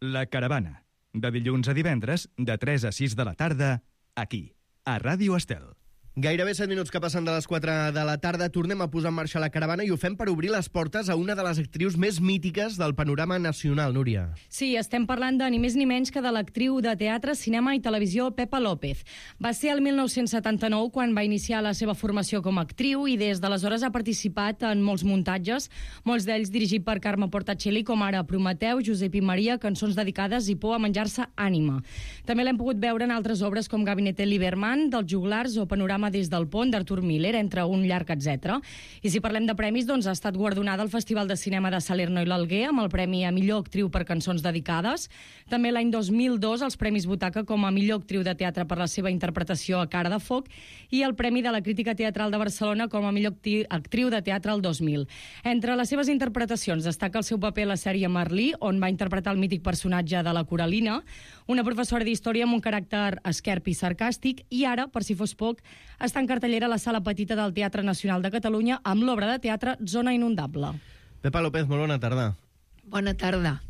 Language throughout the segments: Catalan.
La Caravana, de dilluns a divendres, de 3 a 6 de la tarda, aquí, a Ràdio Estel. Gairebé 7 minuts que passen de les 4 de la tarda. Tornem a posar en marxa La Caravana i ho fem per obrir les portes a una de les actrius més mítiques del panorama nacional, Núria. Sí, estem parlant de ni més ni menys que de l'actriu de teatre, cinema i televisió Pepa López. Va ser el 1979 quan va iniciar la seva formació com a actriu i des d'aleshores ha participat en molts muntatges, molts d'ells dirigit per Carme Portacelli, com ara Prometeu, Josep i Maria, cançons dedicades i Por a menjar-se ànima. També l'hem pogut veure en altres obres com Gabinete Lieberman, dels Joglars o Panorama des del pont d'Artur Miller, entre un llarg etc. I si parlem de premis, doncs ha estat guardonada al Festival de Cinema de Salerno i l'Alguer amb el Premi a Millor Actriu per Cançons Dedicades. També l'any 2002 els Premis Butaca com a Millor Actriu de Teatre per la seva interpretació a Cara de Foc i el Premi de la Crítica Teatral de Barcelona com a Millor Actriu de Teatre el 2000. Entre les seves interpretacions destaca el seu paper a la sèrie Merlí, on va interpretar el mític personatge de la Coralina, una professora d'història amb un caràcter esquerp i sarcàstic, i ara, per si fos poc, està en cartellera a la Sala Petita del Teatre Nacional de Catalunya amb l'obra de teatre Zona Inundable. Pepa López, molt bona tarda. Bona tarda.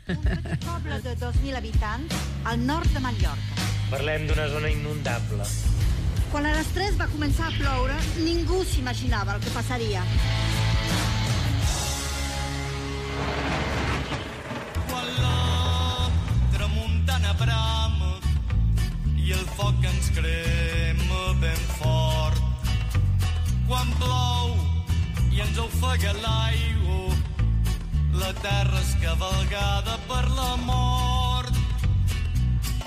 Un petit poble de 2.000 habitants al nord de Mallorca. Parlem d'una zona inundable. Quan a les 3 va començar a ploure, ningú s'imaginava el que passaria. Quan la tramuntana brama i el foc ens crema ben fort. Quan plou i ens ofega l'aigua, la terra és cavalgada per la mort.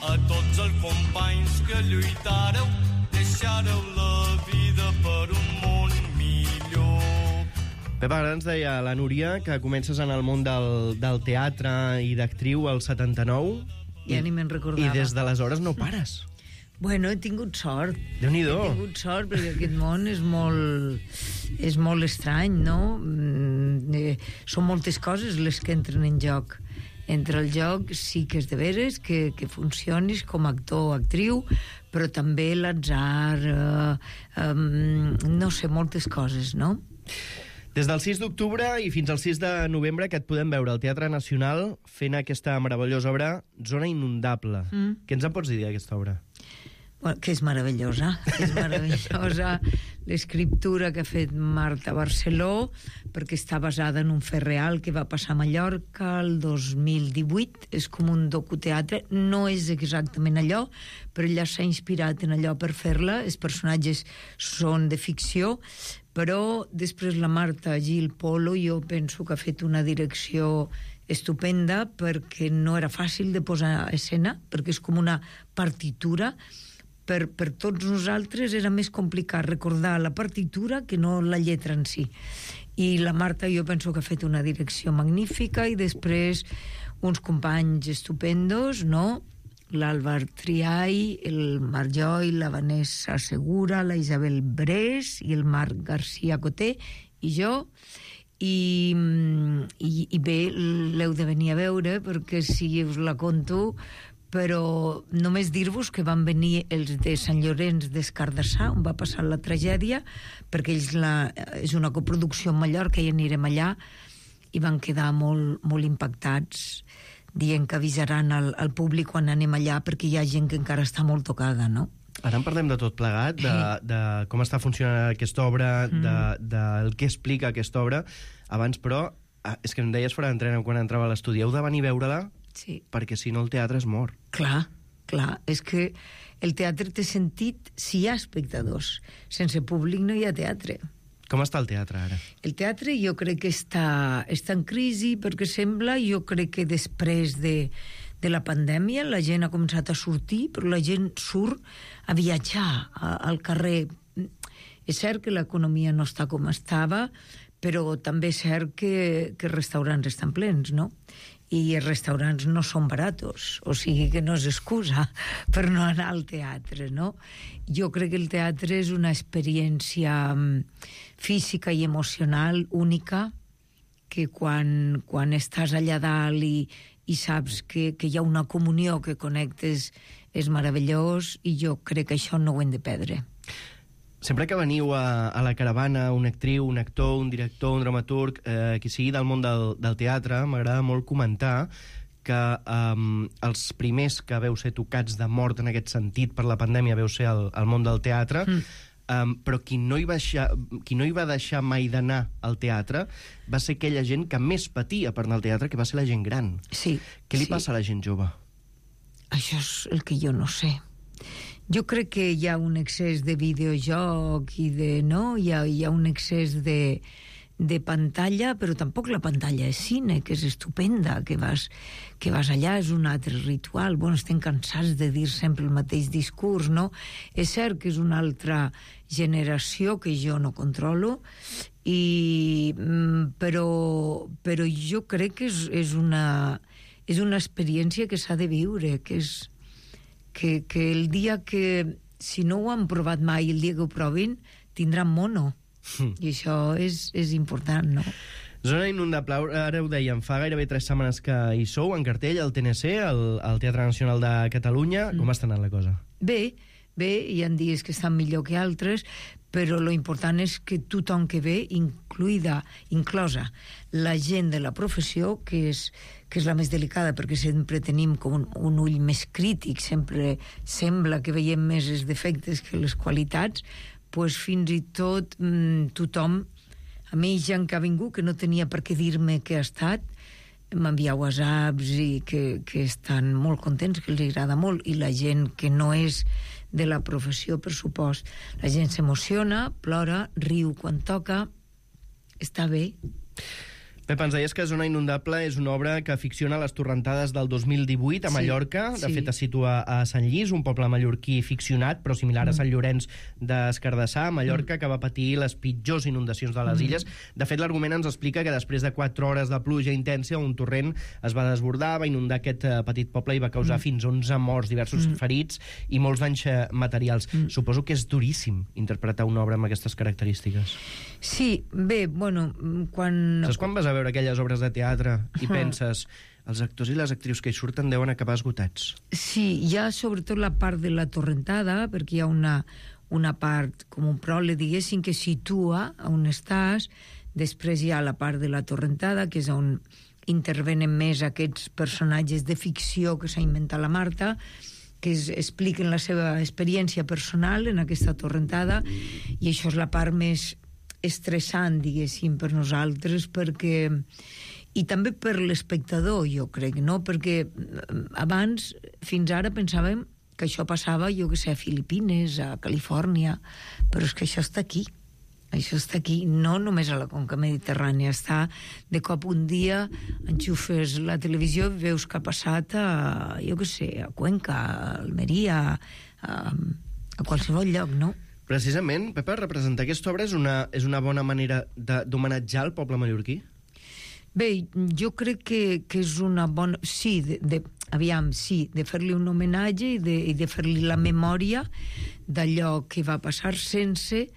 A tots els companys que lluitareu, deixareu la vida per un món millor. Pepa, ara ens deia la Núria que comences en el món del teatre i d'actriu al 79. Ja ni me'n recordava. I des d'aleshores no pares. Bueno, he tingut sort. Déu-n'hi-do. He tingut sort perquè aquest món és molt estrany, no? Són moltes coses les que entren en joc. Entre el joc sí que és de veres que funcionis com a actor o actriu, però també l'atzar, no sé, moltes coses, no? Des del 6 d'octubre i fins al 6 de novembre que et podem veure al Teatre Nacional fent aquesta meravellosa obra Zona Inundable. Què ens en pots dir d'aquesta obra? Bueno, que és meravellosa. És meravellosa l'escriptura que ha fet Marta Barceló, perquè està basada en un fet real que va passar a Mallorca el 2018. És com un docuteatre. No és exactament allò, però ella s'ha inspirat en allò per fer-la. Els personatges són de ficció, però després la Marta Gil Polo jo penso que ha fet una direcció estupenda, perquè no era fàcil de posar a escena, perquè és com una partitura. Per tots nosaltres era més complicat recordar la partitura que no la lletra en si. I la Marta jo penso que ha fet una direcció magnífica, i després uns companys estupendos, no? L'Àlvar Triay, el Marc Joy, la Vanessa Segura, la Isabel Brés i el Marc García Coté i jo. I bé, l'heu de venir a veure, perquè si us la conto, però només dir-vos que van venir els de Sant Llorenç des Cardassar, on va passar la tragèdia, perquè ells és una coproducció en Mallorca i anirem allà, i van quedar molt, molt impactats, dient que avisaran al públic quan anem allà, perquè hi ha gent que encara està molt tocada, no? Ara en parlem de tot plegat, de com està funcionant aquesta obra, del que explica aquesta obra. Abans, però, és que em deies fora d'entrena quan entrava a l'estudi, heu de venir a veure-la, sí, perquè si no el teatre es mor. Clar, és que el teatre té sentit si hi ha espectadors. Sense públic no hi ha teatre. Com està el teatre ara? El teatre jo crec que està en crisi, perquè sembla, jo crec que després de la pandèmia la gent ha començat a sortir, però la gent surt a viatjar al carrer. És cert que l'economia no està com estava, però també és cert que els restaurants estan plens, no? I els restaurants no són baratos, o sigui que no és excusa per no anar al teatre, no? Jo crec que el teatre és una experiència física i emocional única, que quan estàs allà dalt i saps que hi ha una comunió, que connectes, és meravellós, i jo crec que això no ho hem de perdre. Sempre que veniu a la caravana, una actriu, un actor, un director, un dramaturg, qui sigui del món del teatre, m'agrada molt comentar que els primers que veu ser tocats de mort en aquest sentit per la pandèmia veu ser el món del teatre, però qui no hi va deixar mai d'anar al teatre va ser aquella gent que més patia per anar al teatre, que va ser la gent gran. Sí. Què li passa a la gent jove? Això és el que jo no sé. Jo crec que hi ha un excés de videojoc i hi ha un excés de pantalla, però tampoc la pantalla és cine, que és estupenda, que vas allà, és un altre ritual. Bueno, estem cansats de dir sempre el mateix discurs, no? És cert que és una altra generació que jo no controlo, però jo crec que és una experiència que s'ha de viure, que el dia que, si no ho han provat mai, el dia que ho provin, tindran mono. I això és important, no? Zona Inundable, ara ho dèiem, fa gairebé 3 setmanes que hi sou, en cartell, al TNC, al Teatre Nacional de Catalunya. Com està anant la cosa? Bé, hi ha dies que estan millor que altres, però lo important és que tothom que ve, inclosa la gent de la professió, que és la més delicada, perquè sempre tenim com un ull més crític, sempre sembla que veiem més els defectes que les qualitats, pues fins i tot tothom, a mi gent que ha vingut, que no tenia per què dir-me què ha estat, m'envia whatsapps i que estan molt contents, que els agrada molt, i la gent que no és de la professió, per supost, la gent s'emociona, plora, riu quan toca, està bé. Pep, ens deies que Zona Inundable és una obra que ficciona les torrentades del 2018 a Mallorca. De fet, es situa a Sant Lluís, un poble mallorquí ficcionat, però similar a Sant Llorenç d'Escardassar, a Mallorca, que va patir les pitjors inundacions de les illes. De fet, l'argument ens explica que després de 4 hores de pluja intensa, un torrent es va desbordar, va inundar aquest petit poble i va causar fins 11 morts, diversos ferits i molts danys materials. Suposo que és duríssim interpretar una obra amb aquestes característiques. Sí, bé, bueno, Saps quan vas a veure aquelles obres de teatre i penses els actors i les actrius que hi surten deuen acabar esgotats? Sí, hi ha sobretot la part de la torrentada, perquè hi ha una part, com un pròleg, diguéssim, que situa on estàs. Després hi ha la part de la torrentada, que és on intervenen més aquests personatges de ficció que s'ha inventat la Marta, que expliquen la seva experiència personal en aquesta torrentada, i això és la part més estressant, diguéssim, per nosaltres, perquè... I també per l'espectador, jo crec, no? Perquè abans, fins ara, pensàvem que això passava, jo que sé, a Filipines, a Califòrnia, però és que això està aquí. Això està aquí, no només a la conca mediterrània, està de cop un dia, enxufes la televisió i veus que ha passat a, jo que sé, a Cuenca, a Almeria, a qualsevol lloc, no? Precisament, Pepa, representar aquesta obra és una bona manera d'homenatjar el poble mallorquí? Bé, jo crec que és una bona... Sí, de fer-li un homenatge i de fer-li la memòria d'allò que va passar sense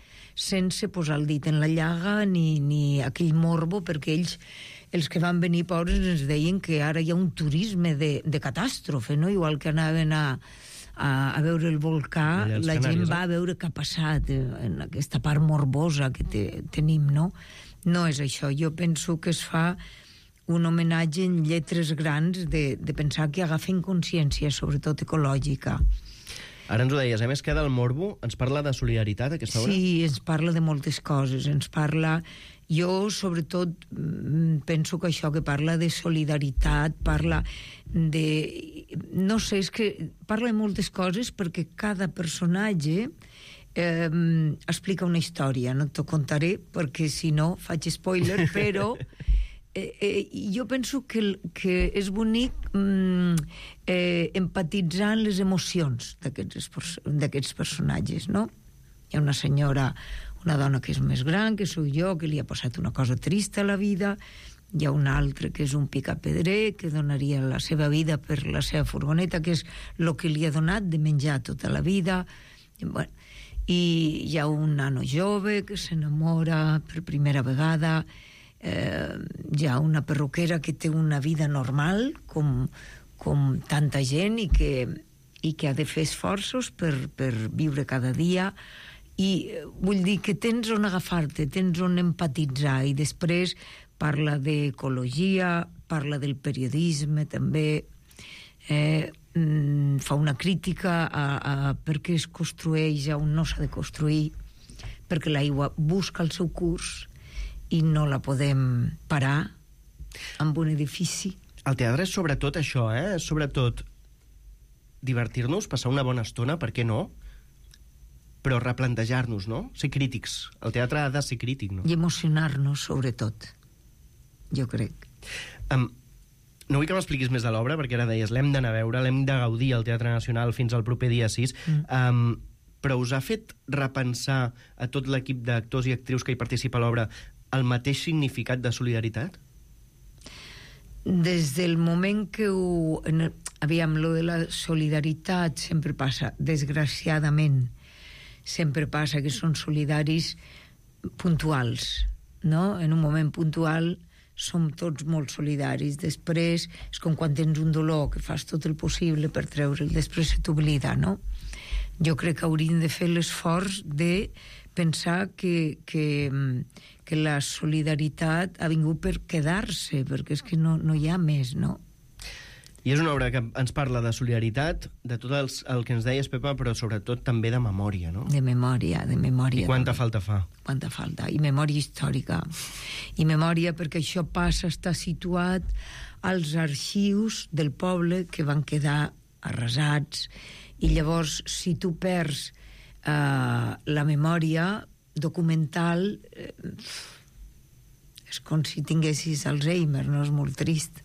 posar el dit en la llaga ni aquell morbo, perquè ells, els que van venir pobres, ens deien que ara hi ha un turisme de catàstrofe, no? Igual que anaven a veure el volcà, la gent va a veure què ha passat en aquesta part morbosa que tenim, no? No és això. Jo penso que es fa un homenatge en lletres grans de pensar que agafen consciència, sobretot ecològica. Ara ens ho deies, més que del morbo, ens parla de solidaritat, aquesta obra? Sí, ens parla de moltes coses. Ens parla... Jo, sobretot, penso que això que parla de solidaritat, parla de... No sé, és que parla de moltes coses perquè cada personatge explica una història. No t'ho contaré perquè, si no, faig spoiler, però... jo penso que és bonic empatitzar en les emocions d'aquests personatges, no? Hi ha una senyora, una dona que és més gran, que sóc jo, que li ha passat una cosa trista a la vida. Hi ha un altre que és un picapedrer, que donaria la seva vida per la seva furgoneta, que és el que li ha donat de menjar tota la vida. Bueno, i hi ha un nano jove que s'enamora per primera vegada. Hi ha una perruquera que té una vida normal, com tanta gent, i que ha de fer esforços per viure cada dia. I vull dir que tens on agafar-te, tens on empatitzar, i després parla d'ecologia, parla del periodisme també, fa una crítica a per què es construeix on no s'ha de construir, perquè l'aigua busca el seu curs i no la podem parar amb un edifici. El teatre és sobretot això, és sobretot divertir-nos, passar una bona estona, per què no? Però replantejar-nos, no? Ser crítics. El teatre ha de ser crític, no? I emocionar-nos, sobretot, jo crec. No vull que m'expliquis més de l'obra, perquè ara deies, l'hem d'anar a veure, l'hem de gaudir al Teatre Nacional fins al proper dia 6, però us ha fet repensar a tot l'equip d'actors i actrius que hi participa a l'obra el mateix significat de solidaritat? Des del moment que aviam, lo de la solidaritat sempre passa, desgraciadament, sempre passa que són solidaris puntuals, no? En un moment puntual som tots molt solidaris. Després és com quan tens un dolor, que fas tot el possible per treure'l, després se t'oblida, no? Jo crec que hauríem de fer l'esforç de pensar que la solidaritat ha vingut per quedar-se, perquè és que no hi ha més, no? I és una obra que ens parla de solidaritat, de tot el que ens deies, Pepa, però sobretot també de memòria, no? De memòria. I quanta falta fa? Quanta falta. I memòria històrica. I memòria perquè això passa a estar situat als arxius del poble que van quedar arrasats. I llavors, si tu perds la memòria documental, és com si tinguessis Alzheimer, no? És molt trist.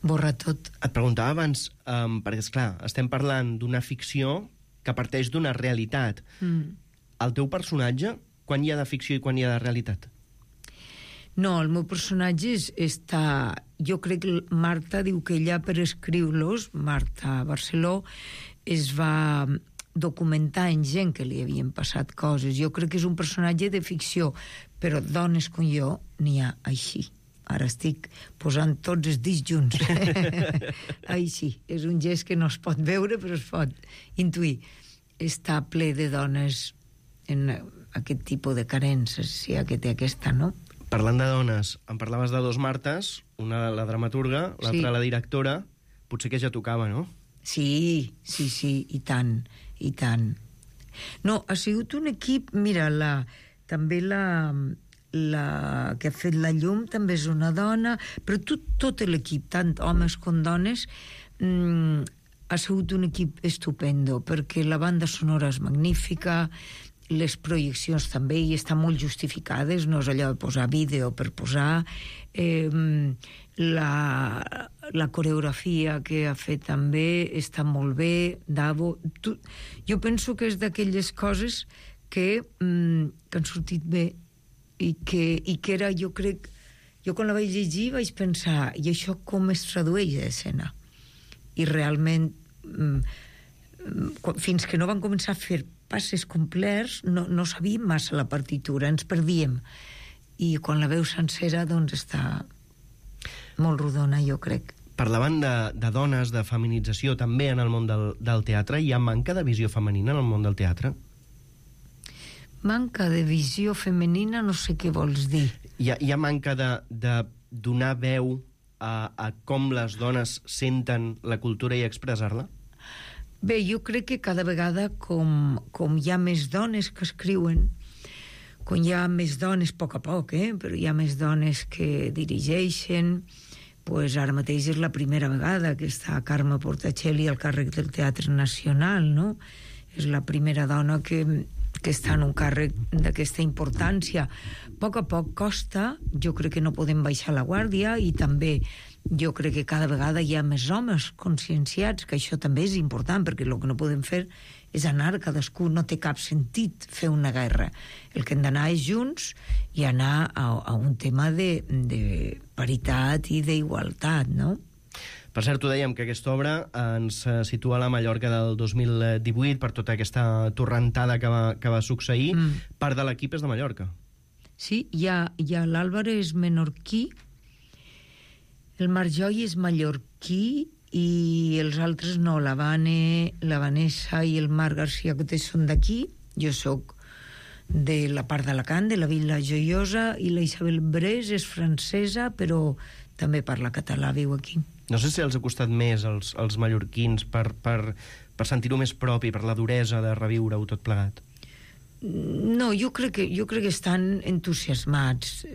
Borra tot. Et preguntava abans, perquè, esclar, estem parlant d'una ficció que parteix d'una realitat. El teu personatge, quan hi ha de ficció i quan hi ha de realitat? No, el meu personatge està... Jo crec que Marta diu que ella, per escriure-los, Marta Barceló, es va documentar en gent que li havien passat coses. Jo crec que és un personatge de ficció, però dones com jo n'hi ha així. Ara estic posant tots els dits junts. Així. És un gest que no es pot veure, però es pot intuir. Està ple de dones en aquest tipus de carències, si que té aquesta, no? Parlant de dones, em parlaves de dos Martes, una la dramaturga, l'altra la directora. Potser que ja tocava, no? Sí, i tant, i tant. No, ha sigut un equip... Mira, també la que ha fet la llum també és una dona, però tot l'equip, tant homes com dones, ha sigut un equip estupendo, perquè la banda sonora és magnífica, les projeccions també hi estan molt justificades, no és allò de posar vídeo per posar, la coreografia que ha fet també està molt bé, Davo. Jo penso que és d'aquelles coses que han sortit bé, i que era, jo crec, jo quan la vaig llegir vaig pensar, i això com es tradueix a escena? I realment, fins que no van començar a fer passes complets, no sabíem massa la partitura, ens perdíem. I quan la veus sencera, doncs està molt rodona, jo crec. Parlaven de dones, de feminització, també en el món del teatre. Hi ha manca de visió femenina en el món del teatre? Manca de visió femenina, no sé què vols dir. Hi ha manca de donar veu a com les dones senten la cultura i expressar-la? Bé, jo crec que cada vegada com hi ha més dones que escriuen, com hi ha més dones, a poc, però hi ha més dones que dirigeixen, pues ara mateix és la primera vegada que està Carme Portacelli al càrrec del Teatre Nacional, no? És la primera dona que està en un càrrec d'aquesta importància. A poc costa, jo crec que no podem baixar la guàrdia, i també jo crec que cada vegada hi ha més homes conscienciats, que això també és important, perquè el que no podem fer és anar cadascú, no té cap sentit fer una guerra. El que hem d'anar és junts i anar a un tema de paritat i d'igualtat, no? Per cert, ho dèiem, que aquesta obra ens situa a la Mallorca del 2018 per tota aquesta torrentada que va succeir. Part de l'equip és de Mallorca. Sí, hi ha l'Àlvaro és menorquí, el Marc Joy és mallorquí i els altres no, la Vanessa i el Marc García Cotés són d'aquí, jo sóc de la part d'Alacant, de la Vila Joiosa, i la Isabel Brés és francesa, però també parla català, viu aquí. No sé si els ha costat més als mallorquins per sentir-ho més propi, per la duresa de reviure-ho tot plegat. No, jo crec que estan entusiasmats,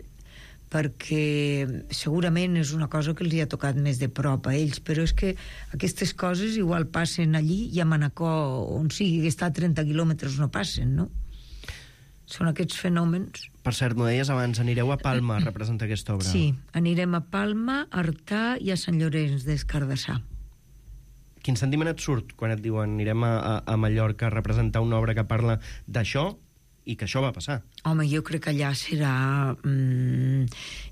perquè segurament és una cosa que els hi ha tocat més de prop a ells, però és que aquestes coses igual passen allí i a Manacor, on sigui que està a 30 quilòmetres, no passen, no? Són aquests fenòmens. Per cert, m'ho deies abans, anireu a Palma a representar aquesta obra. Sí, anirem a Palma, a Artà i a Sant Llorenç des Cardassar. Quin sentiment et surt quan et diuen anirem a Mallorca a representar una obra que parla d'això i que això va passar? Home, jo crec que allà serà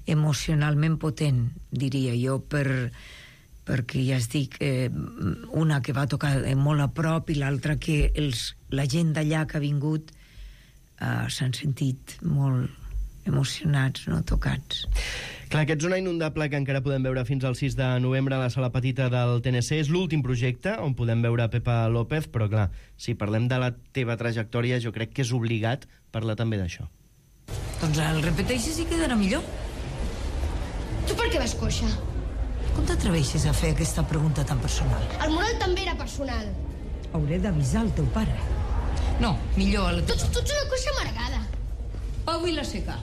emocionalment potent, diria jo, perquè ja es dic, una que va tocar molt a prop i l'altra que la gent d'allà que ha vingut s'han sentit molt emocionats, no? Tocats. Clar, aquest Zona Inundable que encara podem veure fins al 6 de novembre a la Sala Petita del TNC és l'últim projecte on podem veure Pepa López, però clar, si parlem de la teva trajectòria jo crec que és obligat parlar també d'això. Doncs el repeteixes i quedarà millor. Tu per què vas coixa? Com t'atreveixes a fer aquesta pregunta tan personal? El moral també era personal. Hauré d'avisar el teu pare. No, millor a la Tu ets una coixa amargada. Pau Vilaseca,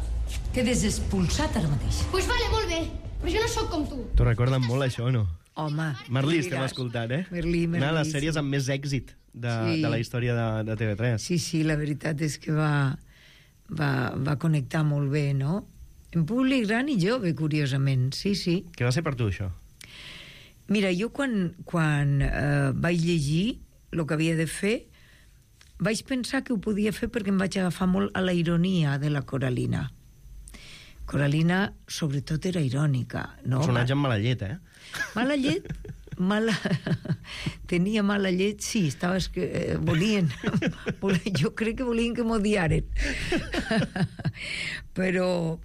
quedes expulsat ara mateix. Pues vale, molt bé, però jo no sóc com tu. T'ho recorden molt, això, o no? Home, Merlí estem escoltant, eh? Merlí. Una de les sèries amb més èxit de la història de TV3. Sí, la veritat és que va connectar molt bé, no? En públic gran i jove, curiosament, sí. Què va ser per tu, això? Mira, jo quan vaig llegir el que havia de fer, vaig pensar que ho podia fer perquè em vaig agafar molt a la ironia de la Coralina. Coralina, sobretot, era irònica, no? Un personatge amb mala llet, eh? Mala llet? Tenia mala llet, sí, volien, jo crec que volien que m'odiaren. Però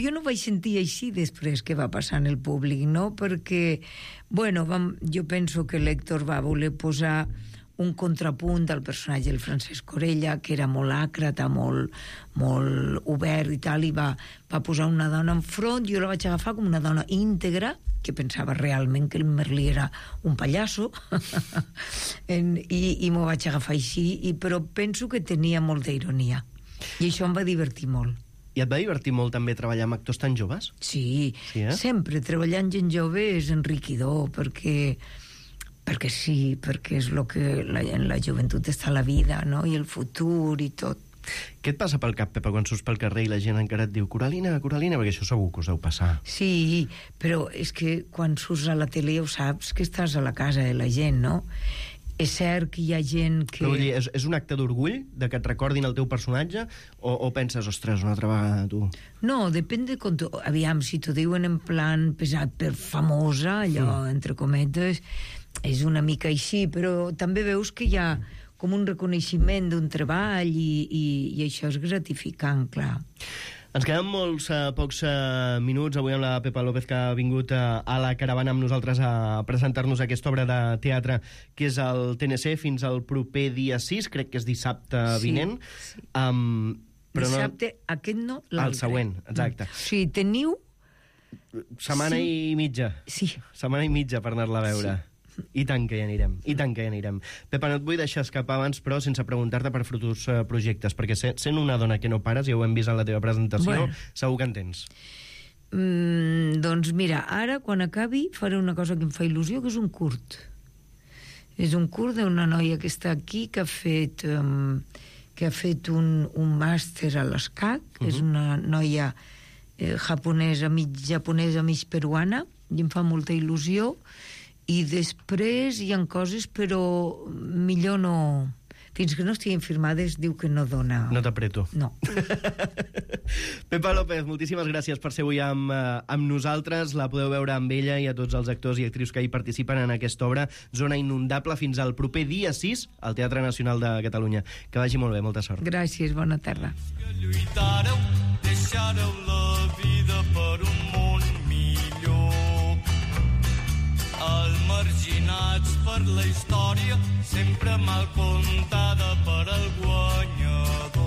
jo no vaig sentir així després que va passar en el públic, no? Perquè, jo penso que l'Héctor va voler posar un contrapunt al personatge del Francesc Corella, que era molt àcrata, molt obert i tal, i va posar una dona enfront. Jo la vaig agafar com una dona íntegra, que pensava realment que el Merlí era un pallasso, i m'ho vaig agafar així, però penso que tenia molta ironia. I això em va divertir molt. I et va divertir molt també treballar amb actors tan joves? Sí, sempre. Treballar amb gent jove és enriquidor, perquè és el que en la joventut està la vida, no? I el futur i tot. Què et passa pel cap, Pepa, quan surts pel carrer i la gent encara et diu Coralina, perquè això segur que us deu passar. Sí, però és que quan surts a la tele ja ho saps, que estàs a la casa de la gent, no? És cert que hi ha gent que... Però vull dir, és un acte d'orgull de que et recordin el teu personatge o penses, ostres, una altra vegada tu? No, depèn de com aviam, si t'ho diuen en plan pesat per famosa, allò, entre cometes, és una mica així, però també veus que hi ha com un reconeixement d'un treball i això és gratificant, clar. Ens queden molts pocs minuts avui amb la Pepa López, que ha vingut a la caravana amb nosaltres a presentar-nos aquesta obra de teatre que és el TNC fins al proper dia 6, crec que és dissabte vinent. Sí. Però dissabte, aquest no, l'altre. El següent, exacte. Sí, teniu... Setmana i mitja. Sí. Setmana i mitja per anar-la a veure. Sí. I tant que hi anirem. Pepa, no et vull deixar escapar abans, però sense preguntar-te per futurs projectes, perquè sent una dona que no pares, ja ho hem vist en la teva presentació, segur que en tens. Doncs mira, ara, quan acabi, faré una cosa que em fa il·lusió, que és un curt. És un curt d'una noia que està aquí, que ha fet un màster a l'ESCAC, és una noia japonesa, mig peruana, i em fa molta il·lusió. I després hi ha coses, però millor no... Fins que no estiguin firmades, diu que no dona... No t'apreto. No. Pepa López, moltíssimes gràcies per ser avui amb nosaltres. La podeu veure amb ella i a tots els actors i actrius que hi participen en aquesta obra, Zona Inundable, fins al proper dia 6 al Teatre Nacional de Catalunya. Que vagi molt bé, molta sort. Gràcies, bona tarda. Que lluitareu, deixareu la vida per un món millor. Els marginats per la història, sempre mal contada per als guanyadors.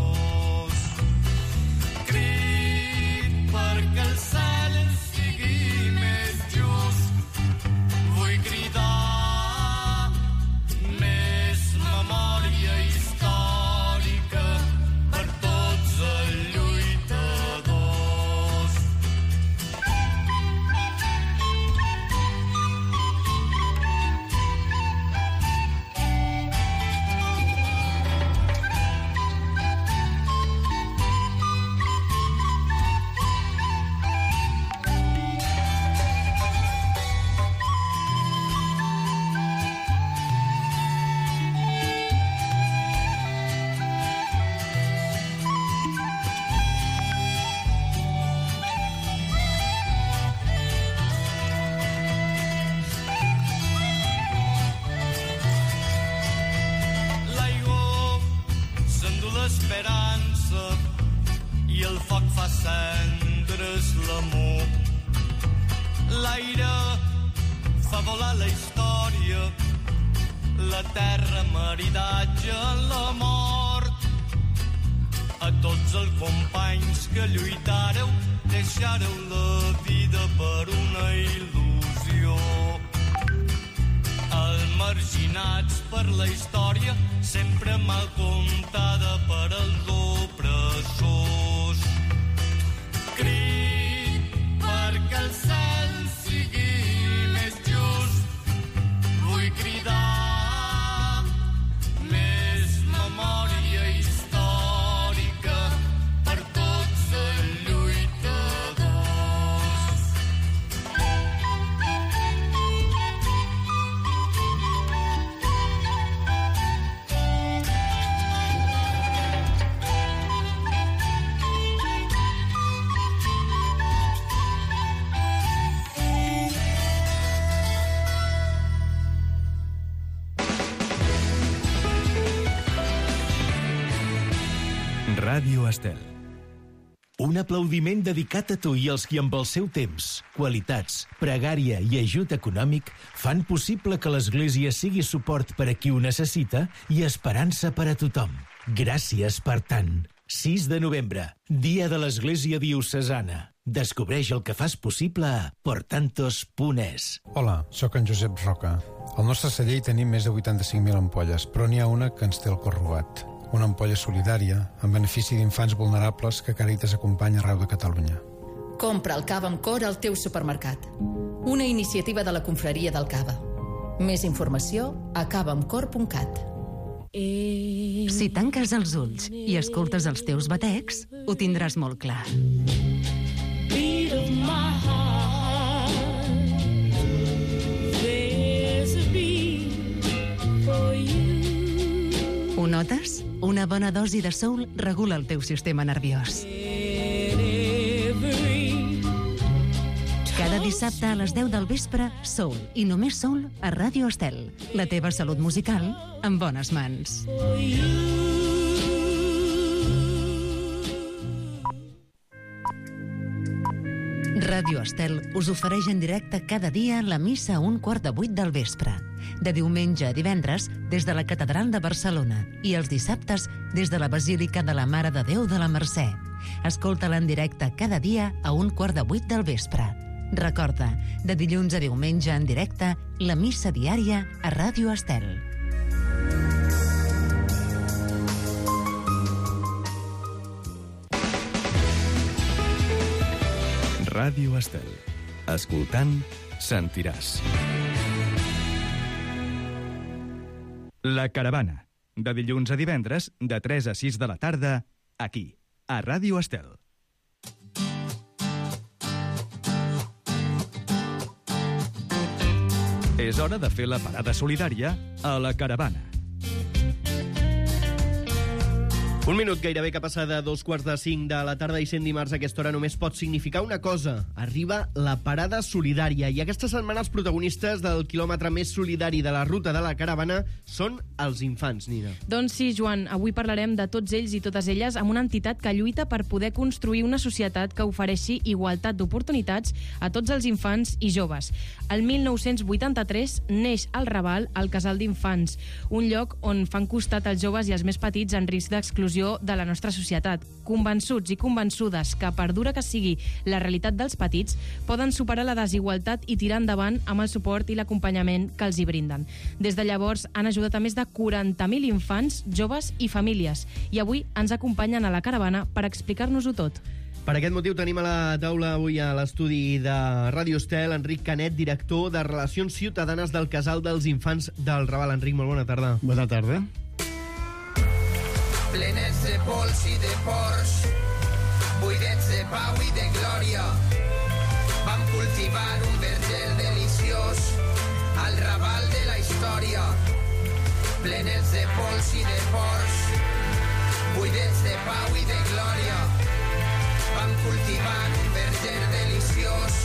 maridatge en la mort. A tots els companys que lluitareu, deixareu la vida per una il·lusió. Els marginats per la història, sempre mal comptada per als opressors. Crit perquè el cel sigui més just, vull cridar més memòria històrica per tots els lluitadors. Ràdio Estel. Un aplaudiment dedicat a tu i als qui amb el seu temps, qualitats, pregària i ajut econòmic fan possible que l'Església sigui suport per a qui ho necessita i esperança per a tothom. Gràcies per tant. 6 de novembre, Dia de l'Església Diocesana. Descobreix el que fas possible a portantos.es. Hola, sóc en Josep Roca. Al nostre celler hi tenim més de 85.000 ampolles, però n'hi ha una que ens té el cor robat. Una ampolla solidària en benefici d'infants vulnerables que Càritas acompanya arreu de Catalunya. Compra el cava amb cor al teu supermercat. Una iniciativa de la Confraria del Cava. Més informació a cavaamcor.cat. Si tanques els ulls i escoltes els teus batecs, ho tindràs molt clar. Ho notes? Una bona dosi de soul regula el teu sistema nerviós. Cada dissabte a les 10 del vespre, soul i només soul a Ràdio Estel. La teva salut musical en bones mans. Ràdio Estel us ofereix en directe cada dia la missa a 7:15 del vespre. De diumenge a divendres des de la Catedral de Barcelona i els dissabtes des de la Basílica de la Mare de Déu de la Mercè. Escolta-la en directe cada dia a 7:15 del vespre. Recorda, de dilluns a diumenge en directe, la missa diària a Ràdio Estel. Ràdio Estel. Escoltant, sentiràs. La Caravana. De dilluns a divendres, de 3 a 6 de la tarda, aquí, a Ràdio Estel. És hora de fer la parada solidària a La Caravana. Un minut gairebé que passa de 2:45 de la tarda i sent dimarts a aquesta hora només pot significar una cosa. Arriba la parada solidària i aquesta setmana els protagonistes del quilòmetre més solidari de la ruta de la caravana són els infants, Nina. Doncs sí, Joan, avui parlarem de tots ells i totes elles amb una entitat que lluita per poder construir una societat que ofereixi igualtat d'oportunitats a tots els infants i joves. El 1983 neix al Raval el Casal d'Infants, un lloc on fan costat els joves i els més petits en risc d'exclusió de la nostra societat. Convençuts i convençudes que, per dura que sigui la realitat dels petits, poden superar la desigualtat i tirar endavant amb el suport i l'acompanyament que els hi brinden. Des de llavors han ajudat a més de 40.000 infants, joves i famílies i avui ens acompanyen a la caravana per explicar-nos-ho tot. Per aquest motiu tenim a la taula avui a l'estudi de Ràdio Estel Enric Canet, director de Relacions Ciutadanes del Casal dels Infants del Raval. Enric, molt bona tarda. Bona tarda. Plenets de pols i de ports, buidets de pau i de glòria, vam cultivar un verger deliciós al Raval de la història. Plenets de pols i de ports, buidets de pau i de glòria, vam cultivar un verger deliciós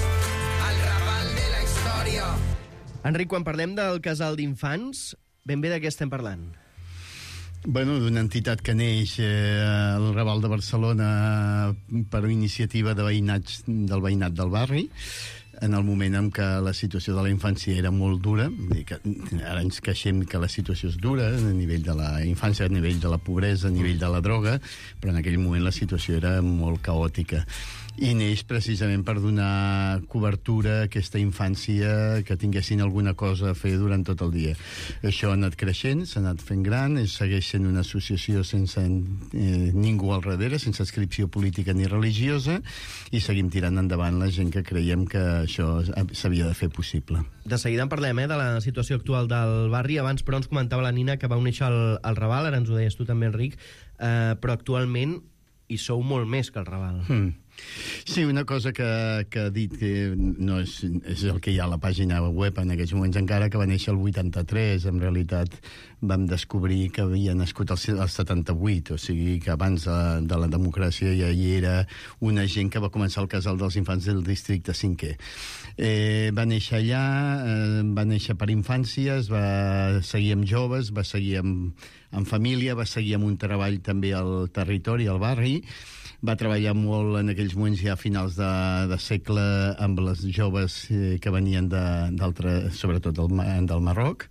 al Raval de la història. Enric, quan parlem del Casal d'Infants, ben bé de què estem parlant? Bueno, d'una entitat que neix al Raval de Barcelona per iniciativa del veïnat del barri. en el moment en què la situació de la infància era molt dura. Ara ens queixem que la situació és dura a nivell de la infància, a nivell de la pobresa, a nivell de la droga, però en aquell moment la situació era molt caòtica. I neix precisament per donar cobertura a aquesta infància, que tinguessin alguna cosa a fer durant tot el dia. Això ha anat creixent, s'ha anat fent gran, segueix sent una associació sense ningú al darrere, sense adscripció política ni religiosa, i seguim tirant endavant la gent que creiem que això s'havia de fer possible. De seguida en parlem, de la situació actual del barri. Abans, però, ens comentava la Nina que vau néixer al Raval, ara ens ho deies tu també, Enric, però actualment hi sou molt més que el Raval. Sí, una cosa que ha dit que no és el que hi ha a la pàgina web en aquests moments encara, que va néixer el 83. En realitat vam descobrir que havia nascut el 78, o sigui que abans de la democràcia ja hi era una gent que va començar el casal dels infants del districte 5è. Va néixer allà, va néixer per infància, va seguir amb joves, va seguir amb família, va seguir amb un treball també al territori, al barri. Va treballar molt en aquells moments ja a finals de segle amb les joves que venien sobretot del Marroc,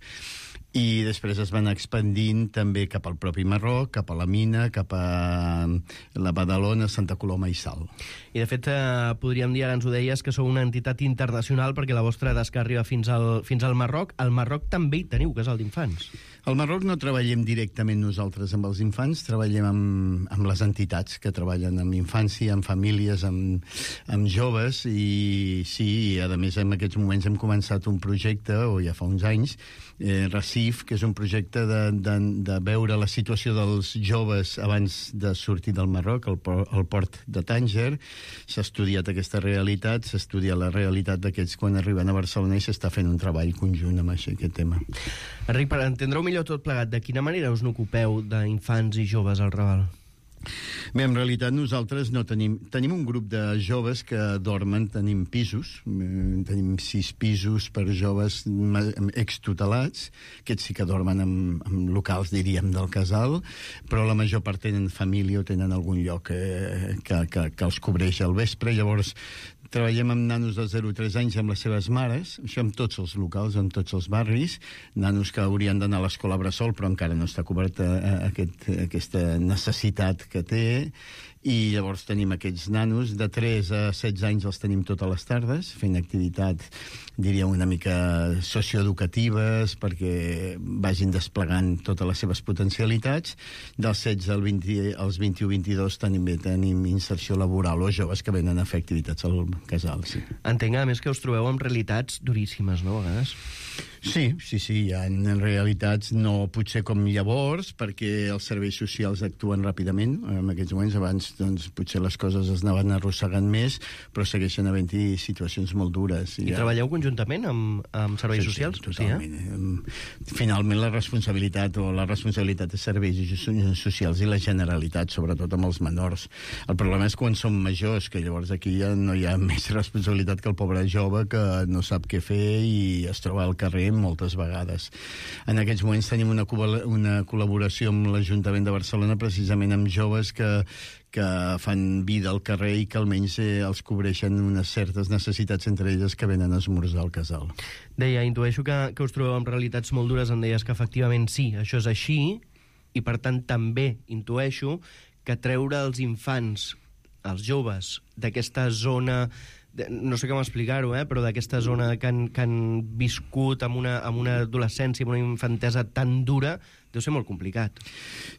i després es van expandint també cap al propi Marroc, cap a la Mina, cap a la Badalona, Santa Coloma i Sal. I de fet podríem dir, ara ens ho deies, que sou una entitat internacional perquè la vostra tasca arriba fins al Marroc. Al Marroc també hi teniu casal d'infants. Al Marroc no treballem directament nosaltres amb els infants, treballem amb les entitats que treballen amb infància, amb famílies, amb joves, i sí, a més en aquests moments hem començat un projecte, o ja fa uns anys, Recif, que és un projecte de veure la situació dels joves abans de sortir del Marroc, al port de Tànger. S'ha estudiat aquesta realitat, s'ha estudiat la realitat d'aquests quan arriben a Barcelona, i s'està fent un treball conjunt amb aquest tema. Enric, per entendre-ho millor tot plegat, de quina manera us n'ocupeu d'infants i joves al Raval? Bé, en realitat nosaltres no tenim un grup de joves que dormen, tenim pisos, tenim 6 pisos per joves extutelats, aquests sí que dormen en locals, diríem, del casal, però la major part tenen família o tenen algun lloc que els cobreix al vespre. Llavors treballem amb nanos de 0 a 3 anys amb les seves mares, això amb tots els locals, amb tots els barris, nanos que haurien d'anar a l'escola bressol, però encara no està coberta aquesta necessitat que té, i llavors tenim aquests nanos de 3 a 16 anys, els tenim totes les tardes fent activitats, diria, una mica socioeducatives perquè vagin desplegant totes les seves potencialitats. Dels 16 als 21-22 també tenim inserció laboral o joves que venen a fer activitats al casal. Sí. Entenc, a més, que us trobeu amb realitats duríssimes, no, a vegades? Sí, hi ha realitats no potser com llavors, perquè els serveis socials actuen ràpidament. En aquests moments, abans, doncs, potser les coses es anaven arrossegant més, però segueixen havent-hi situacions molt dures. I treballeu conjuntament amb serveis socials? Sí, totalment. Finalment, la responsabilitat és serveis socials i la Generalitat, sobretot amb els menors. El problema és quan som majors, que llavors aquí ja no hi ha més responsabilitat que el pobre jove que no sap què fer i es troba al carrer moltes vegades. En aquests moments tenim una col·laboració amb l'Ajuntament de Barcelona precisament amb joves que fan vida al carrer i que almenys els cobreixen unes certes necessitats, entre elles que venen a esmorzar al casal. Deia, intueixo que us trobeu amb realitats molt dures, em deies que efectivament sí, això és així, i per tant també intueixo que treure els infants, els joves, d'aquesta zona, no sé com explicar-ho, però d'aquesta zona que han viscut amb una adolescència, amb una infantesa tan dura, deu ser molt complicat.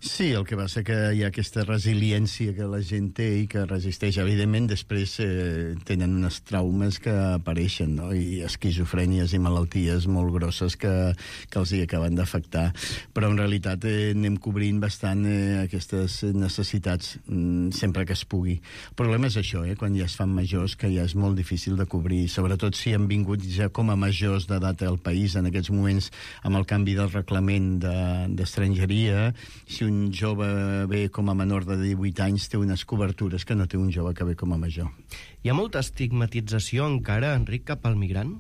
Sí, el que passa que hi ha aquesta resiliència que la gent té i que resisteix. Evidentment, després tenen uns traumes que apareixen, no? I esquizofrènies i malalties molt grosses que els hi acaben d'afectar. Però en realitat anem cobrint bastant aquestes necessitats sempre que es pugui. El problema és això, quan ja es fan majors, que ja és molt difícil de cobrir, sobretot si han vingut ja com a majors d'edat al país. En aquests moments, amb el canvi del reglament d'estrangeria, si un jove ve com a menor de 18 anys té unes cobertures que no té un jove que ve com a major. Hi ha molta estigmatització encara, Enric, cap al migrant?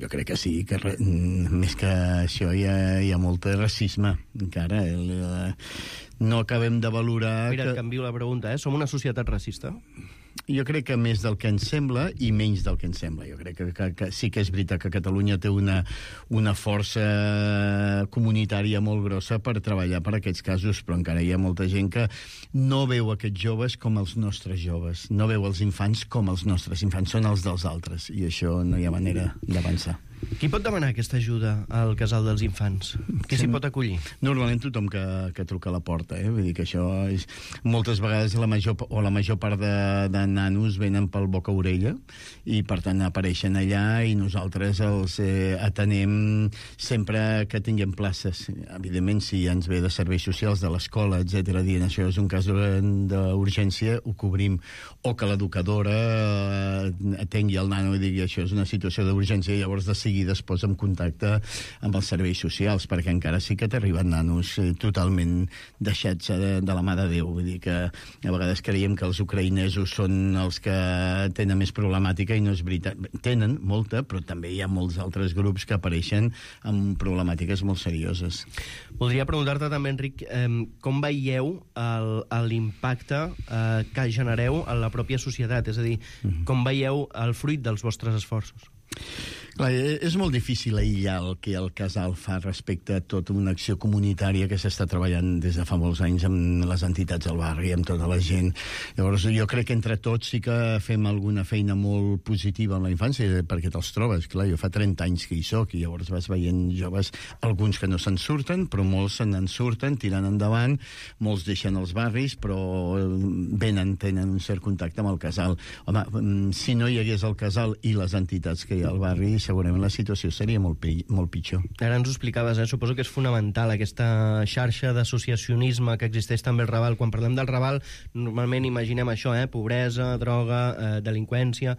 Jo crec que sí, que més que això hi ha molt racisme encara. No acabem de valorar... Mira, et canvio la pregunta, som una societat racista? jo crec que més del que ens sembla i menys del que ens sembla. Jo crec que sí que és veritat que Catalunya té una força comunitària molt grossa per treballar per aquests casos, però encara hi ha molta gent que no veu aquests joves com els nostres joves, no veu els infants com els nostres infants, són els dels altres, i això no hi ha manera d'avançar. Qui pot demanar aquesta ajuda al casal dels infants? Qui s'hi pot acollir? Normalment tothom que truca a la porta, vull dir que això és... Moltes vegades la major part de nanos venen pel boca-orella i per tant apareixen allà i nosaltres els atenem sempre que tinguem places. Evidentment, si ja ens ve de serveis socials de l'escola, etc., dient això és un cas d'urgència, ho cobrim. O que l'educadora atengui el nano i digui això és una situació d'urgència, i llavors de seguida es posa en contacte amb els serveis socials, perquè encara sí que t'arriben nanos totalment deixats de la mà de Déu. Vull dir que a vegades creiem que els ucraïnesos són els que tenen més problemàtica, i no és veritat. Tenen molta, però també hi ha molts altres grups que apareixen amb problemàtiques molt serioses. Voldria preguntar-te també, Enric, com veieu l'impacte que genereu en la pròpia societat? És a dir, com veieu el fruit dels vostres esforços? Clar, és molt difícil aïllar el que el casal fa respecte a tota una acció comunitària que s'està treballant des de fa molts anys amb les entitats del barri, amb tota la gent. Llavors, jo crec que entre tots sí que fem alguna feina molt positiva en la infància, perquè te'ls trobes. Clar, jo fa 30 anys que hi soc, i llavors vas veient joves, alguns que no se'n surten, però molts se n'en surten, tirant endavant, molts deixen els barris, però tenen un cert contacte amb el casal. Home, si no hi hagués el casal i les entitats que hi ha al barri, segurament la situació seria molt pitjor. Ara ens ho explicaves, suposo que és fonamental aquesta xarxa d'associacionisme que existeix també al Raval. Quan parlem del Raval, normalment imaginem això, pobresa, droga, delinqüència,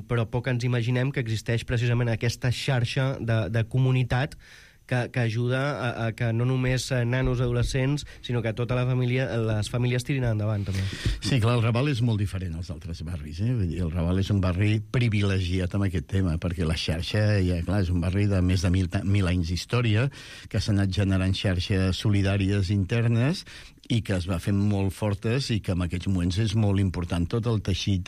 però poc ens imaginem que existeix precisament aquesta xarxa de comunitat que ajuda a que no només nanos adolescents, sinó que tota la família, les famílies tirin endavant, també. Sí, clar, el Raval és molt diferent als altres barris. Vull dir, el Raval és un barri privilegiat amb aquest tema, perquè la xarxa, clar, és un barri de més de 1.000 anys d'història, que s'ha anat generant xarxes solidàries internes i que es va fent molt fortes, i que en aquests moments és molt important tot el teixit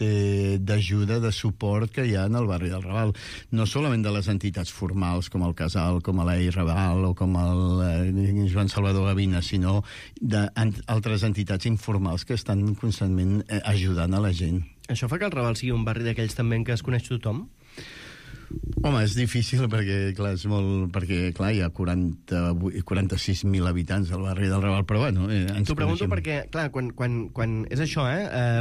d'ajuda, de suport que hi ha en el barri del Raval. No solament de les entitats formals, com el Casal, com l'Ei Raval o com el Joan Salvador Gavina, sinó d'altres entitats informals que estan constantment ajudant a la gent. Això fa que el Raval sigui un barri d'aquells també en què es coneix tothom? Home, és difícil perquè, clar, hi ha 46.000 habitants al barri del Raval, però bueno... T'ho pregunto perquè, clar, quan és això,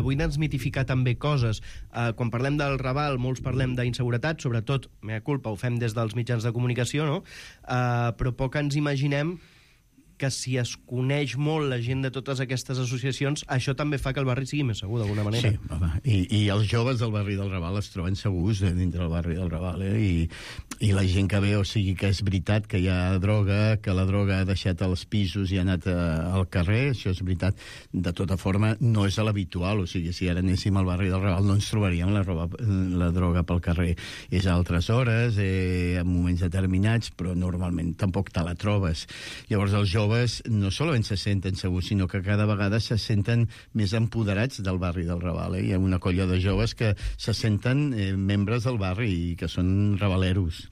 vull desmitificar també coses. Quan parlem del Raval, molts parlem d'inseguretat, sobretot, mea culpa, ho fem des dels mitjans de comunicació, no? Però poc ens imaginem que si es coneix molt la gent de totes aquestes associacions, això també fa que el barri sigui més segur, d'alguna manera. Sí, home, i els joves del barri del Raval es troben segurs dintre del barri del Raval, i la gent que ve, o sigui que és veritat que hi ha droga, que la droga ha deixat els pisos i ha anat al carrer, això és veritat. De tota forma, no és l'habitual, o sigui, si ara anéssim al barri del Raval no ens trobaríem la droga pel carrer. És a altres hores, en moments determinats, però normalment tampoc te la trobes. Llavors els joves no solament se senten segurs, sinó que cada vegada se senten més empoderats del barri del Raval. Hi ha una colla de joves que se senten membres del barri i que són ravaleros.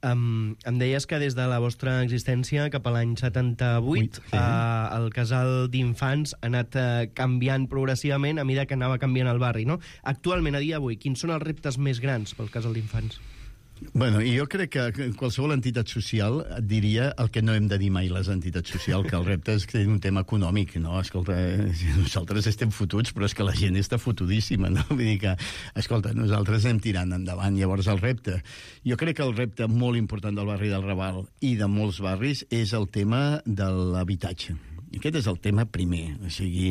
Em deies que des de la vostra existència, cap a l'any 78, el casal d'infants ha anat canviant progressivament a mesura que anava canviant el barri, no? Actualment, a dia d'avui, quins són els reptes més grans pel casal d'infants? Bueno, i jo crec que qualsevol entitat social et diria el que no hem de dir mai les entitats socials, que el repte és que és un tema econòmic, no? Escolta, nosaltres estem fotuts, però és que la gent està fotudíssima, no? Vull dir que, escolta, nosaltres anem tirant endavant. Llavors el repte, jo crec que el repte molt important del barri del Raval i de molts barris és el tema de l'habitatge. Aquest és el tema primer, o sigui,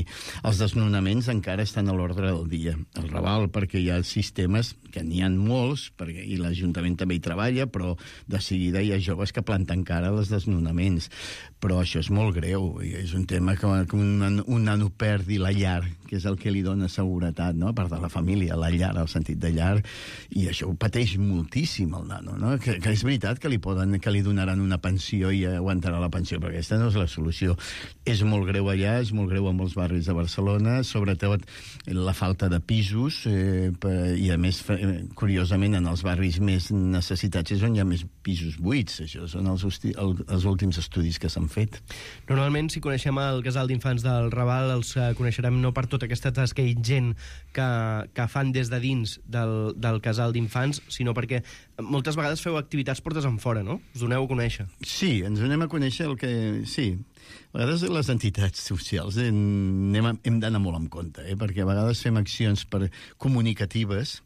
els desnonaments encara estan a l'ordre del dia. El Raval, perquè hi ha sistemes, que n'hi ha molts, i l'Ajuntament també hi treballa, però de seguida hi ha joves que planten cara als desnonaments. Però això és molt greu, i és un tema que un nano perdi la llar, que és el que li dona seguretat, no? A part de la família, la llar, el sentit de llar, i això ho pateix moltíssim el nano, no? Que és veritat que li donaran una pensió i aguantarà la pensió, però aquesta no és la solució. És molt greu allà, és molt greu a molts barris de Barcelona, sobretot la falta de pisos, i a més, curiosament, en els barris més necessitats és on hi ha més pisos buits. Això són els últims estudis que s'han fet. Normalment, si coneixem el casal d'infants del Raval, els coneixerem no per tota aquesta tasca ingent que fan des de dins del casal d'infants, sinó perquè moltes vegades feu activitats portes enfora, no? Us doneu a conèixer. Sí, ens donem a conèixer el que... Sí, a vegades les entitats socials hem d'anar molt en compte, perquè a vegades fem accions comunicatives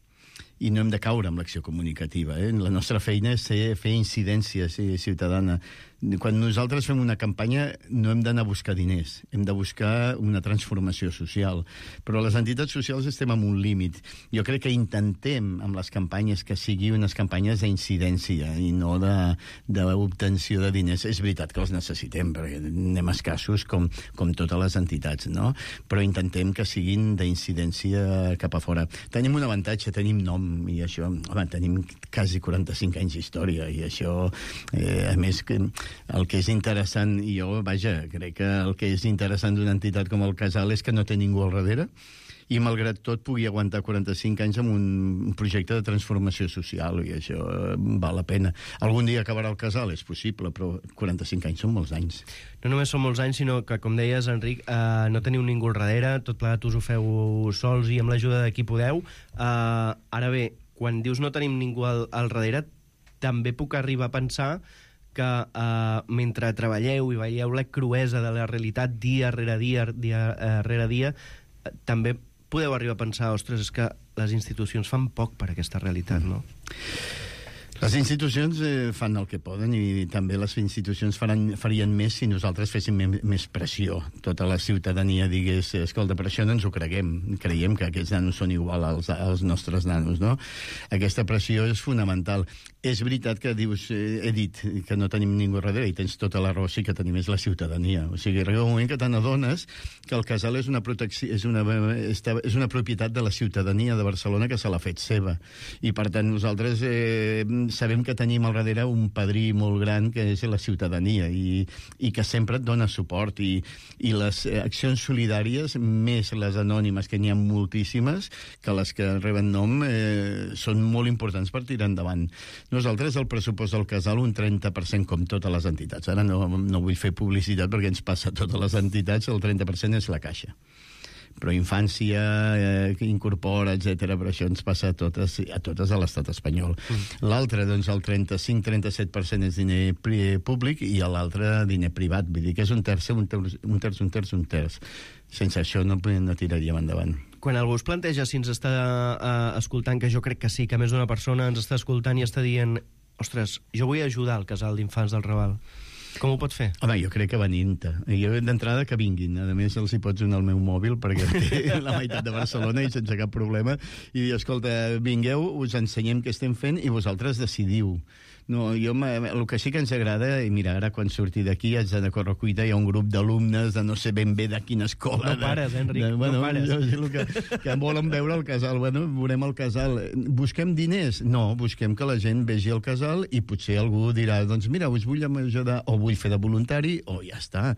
i no hem de caure amb l'acció comunicativa. La nostra feina és fer incidència ciutadana. Quan nosaltres fem una campanya no hem d'anar a buscar diners, hem de buscar una transformació social. Però les entitats socials estem en un límit. Jo crec que intentem amb les campanyes que sigui unes campanyes d'incidència i no d'obtenció de diners. És veritat que els necessitem, perquè anem escassos com totes les entitats, no? Però intentem que siguin d'incidència cap a fora. Tenim un avantatge, tenim nom, i això, home, tenim quasi 45 anys d'història, i això, a més, el que és interessant, i jo, vaja, crec que el que és interessant d'una entitat com el Casal és que no té ningú al darrere, i malgrat tot pugui aguantar 45 anys amb un projecte de transformació social, i això val la pena. Algun dia acabarà el Casal, és possible, però 45 anys són molts anys. No només són molts anys, sinó que, com deies, Enric, no teniu ningú al darrere, tot plegat us ho feu sols i amb l'ajuda de qui podeu. Ara bé, quan dius no tenim ningú al darrere, també puc arribar a pensar que mentre treballeu i veieu la cruesa de la realitat dia rere dia, també podeu arribar a pensar, ostres, és que les institucions fan poc per aquesta realitat, no? Les institucions fan el que poden, i també les institucions farien més si nosaltres féssim més pressió. Tota la ciutadania digués, escolta, per això no ens ho creiem que aquests nanos són igual als nostres nanos, no? Aquesta pressió és fonamental. És veritat que dius, he dit que no tenim ningú darrere, i tens tota la raó, sí que tenim és la ciutadania. O sigui, arriba un moment que te n'adones que el Casal és una propietat de la ciutadania de Barcelona que se l'ha fet seva. I per tant nosaltres sabem que tenim al darrere un padrí molt gran que és la ciutadania i que sempre et dona suport, i les accions solidàries, més les anònimes, que n'hi ha moltíssimes, que les que reben nom són molt importants per tirar endavant. Nosaltres, el pressupost del Casal, un 30%, com totes les entitats. Ara no vull fer publicitat perquè ens passa a totes les entitats, el 30% és la Caixa. Però infància, incorpora, etc. Però això ens passa a totes a l'estat espanyol. L'altre, doncs, el 35-37% és diner públic i l'altre diner privat. Vull dir que és un terç. Sense això no tiraríem endavant. Quan algú es planteja si ens està escoltant, que jo crec que sí, que més d'una persona ens està escoltant i està dient, ostres, jo vull ajudar al Casal d'Infants del Raval, com ho pot fer? Home, jo crec que venint-te. Jo d'entrada que vinguin. A més, els hi pots donar el meu mòbil perquè té la meitat de Barcelona i sense cap problema. I dir, escolta, vingueu, us ensenyem què estem fent i vosaltres decidiu. No, el que sí que ens agrada, i mira, ara quan surti d'aquí haig d'anar a Correcuita, hi ha un grup d'alumnes de no sé ben bé de quina escola. No pares, Enric, no pares. Que volen veure el Casal. Bueno, veurem el Casal. Busquem diners? No, busquem que la gent vegi el Casal i potser algú dirà, doncs mira, us vull ajudar, o vull fer de voluntari, o ja està.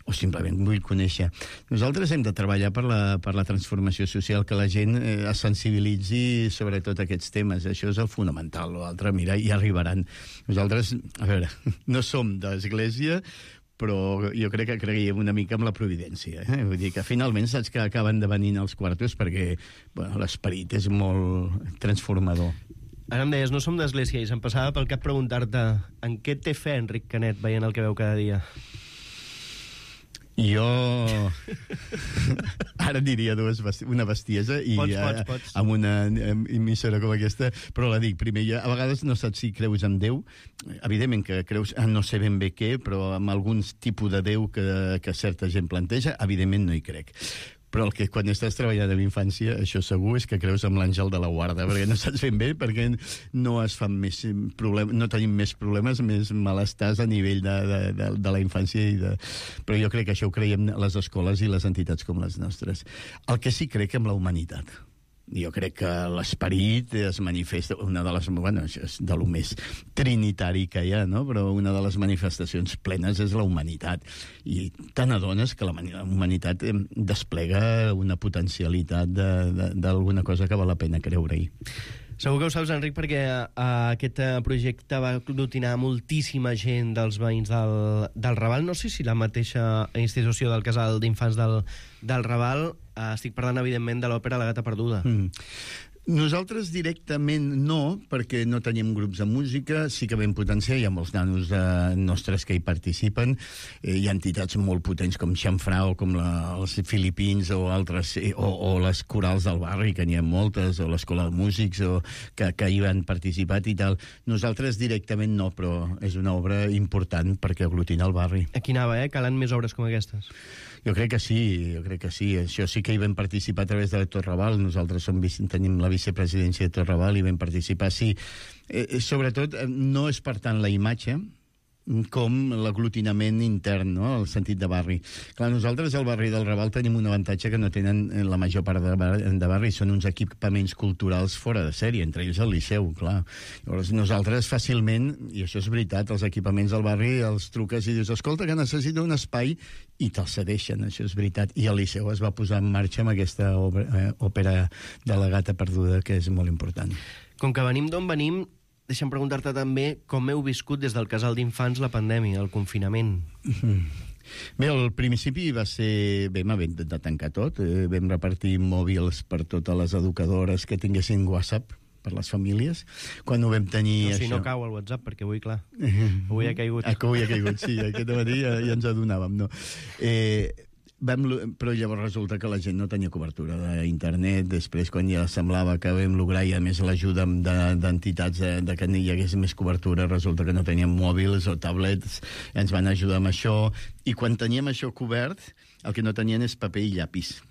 O simplement vull conèixer. Nosaltres hem de treballar per la transformació social, que la gent es sensibilitzi sobre tot aquests temes. Això és el fonamental. L'altre, mira, hi arribaran. Nosaltres, a veure, no som d'església, però jo crec que creiem una mica en la providència. Vull dir que finalment saps que acaben de venir als quartos perquè l'esperit és molt transformador. Ara em deies, no som d'església, i se'm passava pel cap preguntar-te en què té fe Enric Canet veient el que veu cada dia? Jo ara diria una bestiesa i pots. amb una emissora com aquesta, però la dic primer, a vegades no saps si creus en Déu, evidentment que creus no sé ben bé què, però amb alguns tipus de Déu que certa gent planteja, evidentment no hi crec. Però el que quan estàs treballant amb infància, això segur és que creus en l'àngel de la guarda, perquè no saps ben bé, perquè no es fan més problemes, no tenim més problemes, més malestars a nivell de la infància. Però jo crec que això ho creiem les escoles i les entitats com les nostres. El que sí crec en la humanitat. Jo crec que l'esperit es manifesta, una de les, bueno, és de lo més trinitari que hi ha, no? Però una de les manifestacions plenes és la humanitat. I te n'adones que la humanitat desplega una potencialitat d'alguna cosa que val la pena creure-hi. Segur que ho saps, Enric, perquè aquest projecte va aglutinar moltíssima gent dels veïns del Raval. No sé si la mateixa institució del Casal d'Infants del Raval. Estic parlant, evidentment, de l'òpera La gata perduda. Nosaltres directament no, perquè no tenim grups de música, sí que vam potenciar, hi ha molts nanos nostres que hi participen, hi ha entitats molt potents com Xamfrà o com els Filipins o altres, o les corals del barri, que n'hi ha moltes, o l'Escola de Músics, que hi han participat i tal. Nosaltres directament no, però és una obra important perquè aglutina el barri. Aquí anava, calen més obres com aquestes. Jo crec que sí. Això sí que hi vam participar a través de Tot Raval. Nosaltres tenim la vicepresidència de Tot Raval i vam participar, sí. Sobretot, no és per tant la imatge, com l'aglutinament intern, no? El sentit de barri. Clar, nosaltres al barri del Raval tenim un avantatge que no tenen la major part de barri, són uns equipaments culturals fora de sèrie, entre ells el Liceu, clar. Llavors nosaltres fàcilment, i això és veritat, els equipaments del barri els truques i dius, escolta, que necessito un espai, i te'l cedeixen, això és veritat. I el Liceu es va posar en marxa amb aquesta òpera de La gata perduda, que és molt important. Com que venim d'on venim, deixa'm preguntar-te també com heu viscut des del Casal d'Infants la pandèmia, el confinament. Bé, al principi va ser... Vam haver de tancar tot. Vam repartir mòbils per totes les educadores que tinguessin WhatsApp per les famílies. Quan ho vam tenir... No, si no cau el WhatsApp, perquè avui, clar, avui ha caigut. Avui ha caigut, sí. Aquest matí ja ens adonàvem, no? Però llavors resulta que la gent no tenia cobertura d'internet. Després, quan ja semblava que vam lograr, i a més l'ajuda d'entitats de que hi hagués més cobertura, resulta que no teníem mòbils o tablets, ens van ajudar amb això, i quan teníem això cobert, el que no tenien és paper i llapis.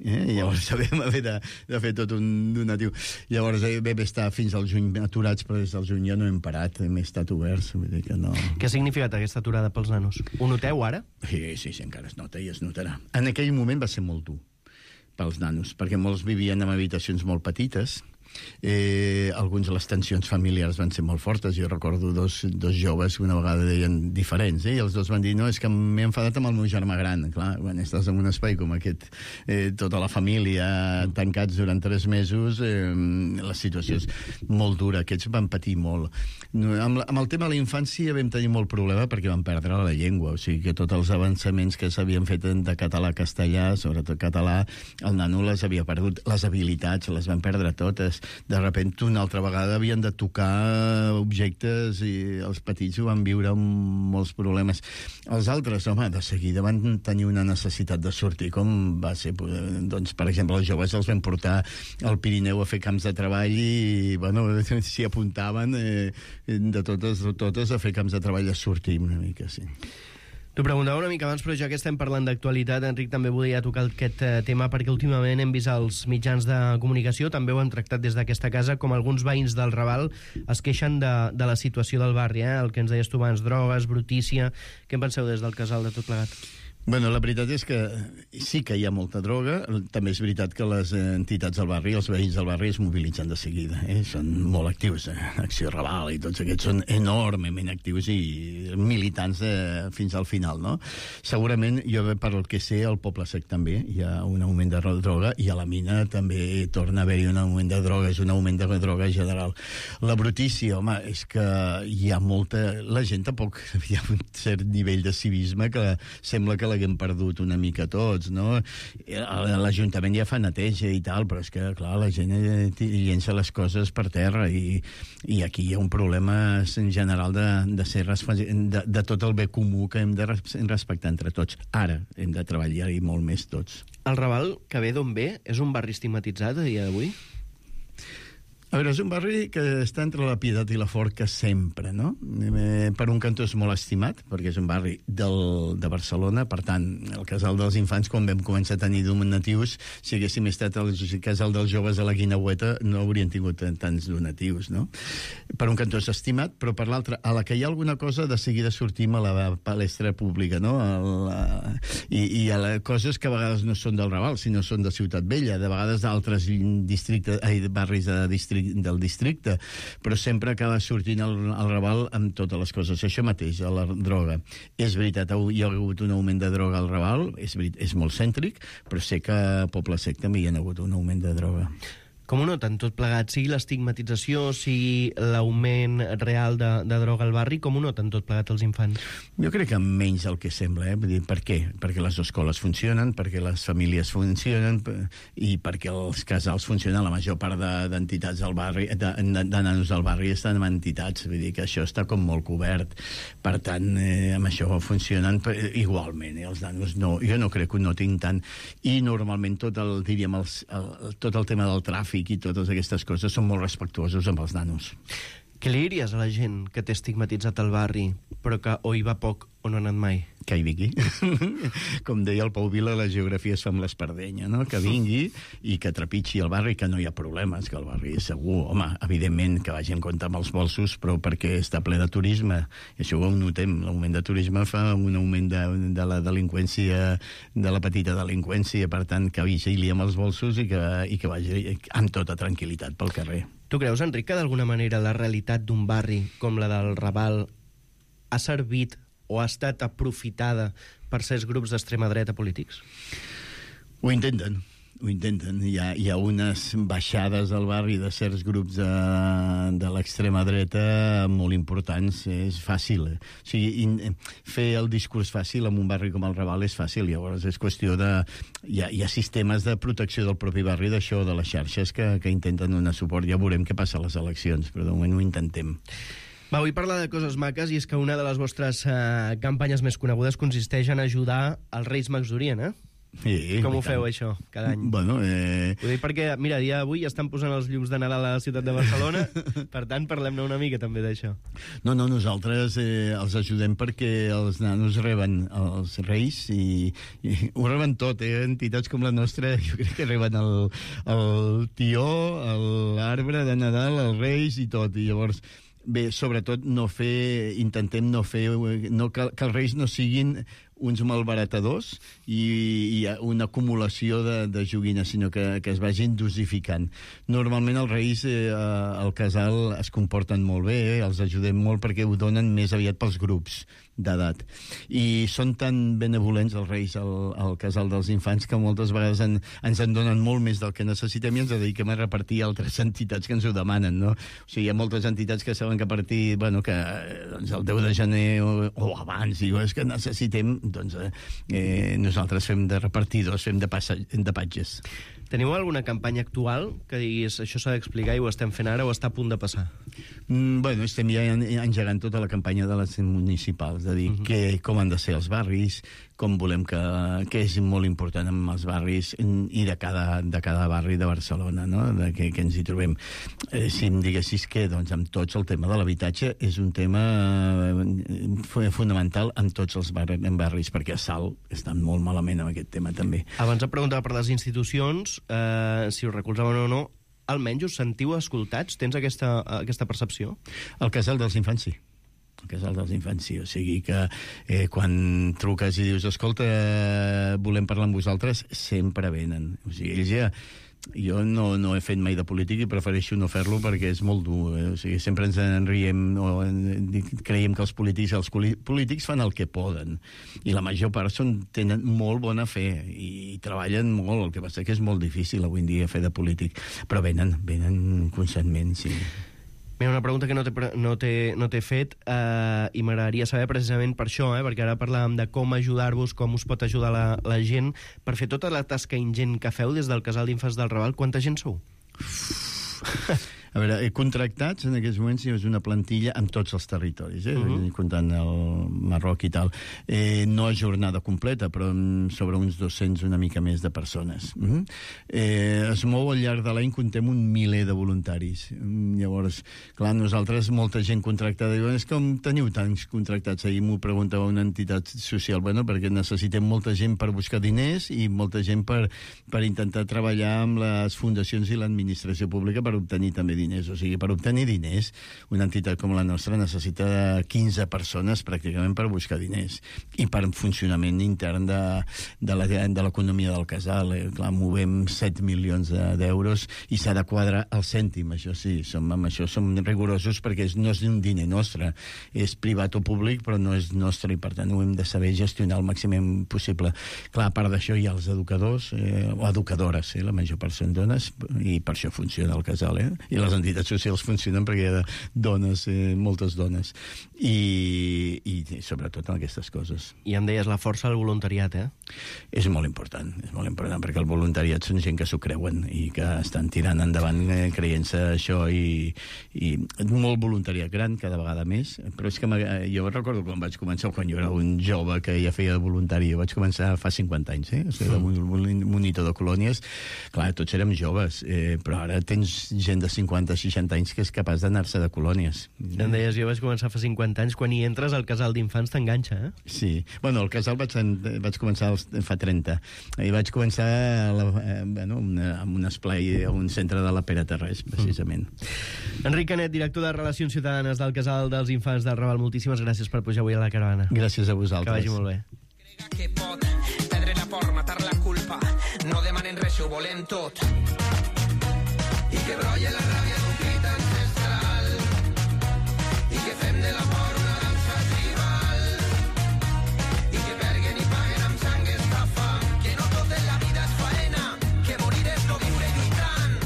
Llavors vam haver de fer tot un donatiu. Llavors vam estar fins al juny aturats, però des del juny ja no hem parat, hem estat oberts, vull dir que no... Què ha significat aquesta aturada pels nanos? Ho noteu ara? Sí, encara es nota i es notarà. En aquell moment va ser molt dur pels nanos, perquè molts vivien en habitacions molt petites. Alguns de les tensions familiars van ser molt fortes. Jo recordo dos joves que una vegada deien diferents, i els dos van dir, no, és que m'he enfadat amb el meu germà gran. Clar, quan estàs en un espai com aquest, tota la família tancats durant 3 mesos, la situació és molt dura. Aquests van patir molt. Amb el tema de la infància vam tenir molt problema perquè vam perdre la llengua, o sigui que tots els avançaments que s'havien fet de català a castellà, sobretot català, el nano les havia perdut, les habilitats les van perdre totes. De sobte una altra vegada havien de tocar objectes i els petits ho van viure amb molts problemes. Els altres, home, de seguida van tenir una necessitat de sortir, com va ser, doncs, per exemple, els joves els van portar al Pirineu a fer camps de treball i, bueno, s'hi apuntaven de totes a fer camps de treball, a sortir una mica, sí. T'ho preguntava una mica abans, però ja que estem parlant d'actualitat, Enric, també volia tocar aquest tema perquè últimament hem vist als mitjans de comunicació, també ho han tractat des d'aquesta casa, com alguns veïns del Raval es queixen de la situació del barri, el que ens deies tu abans, drogues, brutícia... Què en penseu des del Casal de Tot Plegat? Bueno, la veritat és que sí que hi ha molta droga. També és veritat que les entitats del barri, els veïns del barri, es mobilitzen de seguida. Són molt actius. Acció Raval i tots aquests són enormement actius i militants fins al final, no? Segurament, jo per el que sé, al Poble Sec també hi ha un augment de droga i a la mina també torna a haver-hi un augment de droga. És un augment de droga general. La brutícia, home, és que hi ha molta... La gent tampoc... Hi ha un cert nivell de civisme que sembla que l'haguem perdut una mica tots, no? L'Ajuntament ja fa neteja i tal, però és que, clar, la gent llença les coses per terra i aquí hi ha un problema en general de tot el bé comú que hem de respectar entre tots. Ara hem de treballar-hi molt més tots. El Raval, que ve d'on ve, és un barri estigmatitzat a dia d'avui? A veure, és un barri que està entre la Pietat i la Forca sempre, no? Per un cantó és molt estimat, perquè és un barri de Barcelona, per tant, el Casal dels Infants, quan vam començar a tenir donatius, si haguéssim estat al Casal dels Joves a la Guineueta, no haurien tingut tants donatius, no? Per un cantó és estimat, però per l'altre, a la que hi ha alguna cosa, de seguida sortim a la palestra pública, no? I a les coses que a vegades no són del Raval, sinó són de Ciutat Vella, de vegades d'altres barris del districte, però sempre acaba sortint el Raval amb totes les coses. Això mateix, a la droga. És veritat, hi ha hagut un augment de droga al Raval, és molt cèntric, però sé que a Poble Sec també hi ha hagut un augment de droga. Com ho noten tot plegat? Sigui l'estigmatització, sigui l'augment real de droga al barri, com ho noten tot plegat els infants? Jo crec que menys el que sembla, Vull dir, per què? Perquè les escoles funcionen, perquè les famílies funcionen i perquè els casals funcionen. La major part d'entitats del barri, de nanos del barri, estan en entitats. Vull dir que això està com molt cobert. Per tant, amb això funcionen igualment. Els nanos no. Jo no crec que ho notin tant. I normalment tot el tema del tràfic i totes aquestes coses són molt respectuosos amb els nanos. Què li diries a la gent que té estigmatitzat el barri, però que o hi va poc o no ha anat mai? Que hi vingui. Com deia el Pau Vila, la geografia es fa amb l'espardenya, no? Que vingui i que trepitgi el barri, que no hi ha problemes, que el barri és segur. Home, evidentment que vagi en compte amb els bolsos, però perquè està ple de turisme. I això ho notem. L'augment de turisme fa un augment de la delinqüència, de la petita delinqüència. Per tant, que vigili amb els bolsos i que vagi amb tota tranquil·litat pel carrer. Tu creus, Enric, que d'alguna manera la realitat d'un barri com la del Raval ha servit o ha estat aprofitada per certs grups d'extrema dreta polítics? Ho intenten. Hi ha unes baixades al barri de certs grups de l'extrema dreta molt importants. És fàcil. O sigui, fer el discurs fàcil en un barri com el Raval és fàcil. Llavors és qüestió de... Hi ha sistemes de protecció del propi barri d'això, de les xarxes, que intenten donar suport. Ja veurem què passa a les eleccions, però de moment ho intentem. Va, vull parlar de coses maques, i és que una de les vostres campanyes més conegudes consisteix en ajudar els Reis Mags d'Orient, eh? Sí, com ho feu, això, cada any? Bueno, ho dic perquè, mira, dia d'avui estan posant els llums de Nadal a la ciutat de Barcelona, per tant, parlem-ne una mica també d'això. No, nosaltres els ajudem perquè els nanos reben els Reis i ho reben tot, entitats com la nostra, jo crec que reben el tió, l'arbre de Nadal, els Reis i tot, i llavors... Bé, sobretot intentem no fer que els Reis no siguin uns malbaratadors i una acumulació de joguines, sinó que es vagin dosificant. Normalment els Reis al casal es comporten molt bé, els ajudem molt perquè ho donen més aviat pels grups d'edat. I són tan benevolents els Reis al casal dels infants que moltes vegades ens en donen molt més del que necessitem i ens dediquem a repartir a altres entitats que ens ho demanen, no? O sigui, hi ha moltes entitats que saben que a partir, que doncs el 10 de gener o abans, i és que necessitem, doncs nosaltres fem de repartidors, fem de patges. Teniu alguna campanya actual que diguis això s'ha d'explicar i ho estem fent ara o està a punt de passar? Bueno, estem ja engegant tota la campanya de les municipals, de dir com han de ser els barris, com volem que és molt important amb els barris i de cada barri de Barcelona, no? Que ens hi trobem. Si em diguessis que, doncs, amb tots el tema de l'habitatge és un tema fonamental en tots els barris, perquè a Salt estan molt malament amb aquest tema també. Abans em preguntava per les institucions, si us recolzaven o no, almenys us sentiu escoltats? Tens aquesta percepció? El Casal dels Infants, sí. El Casal dels Infants, sí. O sigui que quan truques i dius escolta, volem parlar amb vosaltres, sempre venen. O sigui, ells ja... Jo no he fet mai de polític i prefereixo no fer-lo perquè és molt dur. O sigui, sempre ens en riem o creiem que els polítics fan el que poden. I la major part tenen molt bona fe i treballen molt. El que passa que és molt difícil avui en dia fer de polític. Però venen constantment, sí. Mira, una pregunta que no t'he fet i m'agradaria saber precisament per això, perquè ara parlàvem de com ajudar-vos, com us pot ajudar la gent. Per fer tota la tasca ingent que feu des del Casal d'Infants del Raval, quanta gent sou? A veure, contractats en aquests moments és una plantilla amb tots els territoris, comptant el Marroc i tal. No a jornada completa, però sobre uns 200, una mica més de persones. Es mou al llarg de l'any, contem un miler de voluntaris. Llavors, clar, nosaltres, molta gent contractada, diuen, és com teniu tants contractats? Ahir m'ho preguntava una entitat social, bueno, perquè necessitem molta gent per buscar diners i molta gent per intentar treballar amb les fundacions i l'administració pública per obtenir també diners. O sigui, per obtenir diners, una entitat com la nostra necessita 15 persones pràcticament per buscar diners i per funcionament intern de l'economia del casal. Clar, movem 7 milions d'euros i s'ha de quadrar el cèntim, això sí, amb això som rigorosos perquè no és un diner nostre, és privat o públic, però no és nostre i per tant ho hem de saber gestionar al màxim possible. Clar, a part d'això hi ha els educadors o educadores, la major part són dones i per això funciona el casal, i les entitats socials funcionen perquè hi ha dones, moltes dones i sobretot en aquestes coses. I em deies la força del voluntariat, És molt important perquè el voluntariat són gent que s'ho creuen i que estan tirant endavant creient-se això i molt voluntariat gran cada vegada més, però és que jo recordo quan vaig començar, quan jo era un jove que ja feia de voluntari, jo vaig començar fa 50 anys, o sigui, de monitor de colònies, clar, tots érem joves, però ara tens gent de 50-60 anys que és capaç d'anar-se de colònies. Em deies, jo vaig començar fa 50 anys, quan hi entres al casal d'infants t'enganxa, Sí, bueno, el casal vaig començar fa 30, i vaig començar amb un esplai a un centre de la Pere Terrés, precisament. Enric Canet, director de Relacions Ciutadanes del Casal dels Infants del Raval, moltíssimes gràcies per pujar avui a la caravana. Gràcies a vosaltres. Que vagi molt bé. Que pot perdre la por, matar la culpa, no demanen res, ho volem tot. I que brolla la ràbia d'un crit ancestral i que fem de l'amor una dansa tribal i que perguen i paguen amb sang esta fam, que no tot en la vida és faena, que morir és no viure lluitant.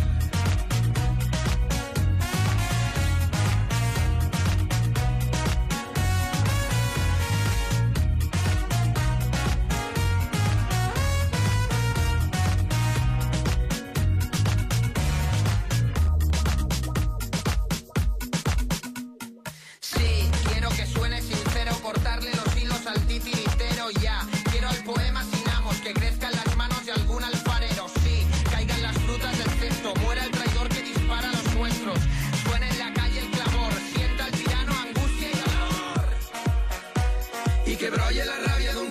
Y que brolle la rabia de un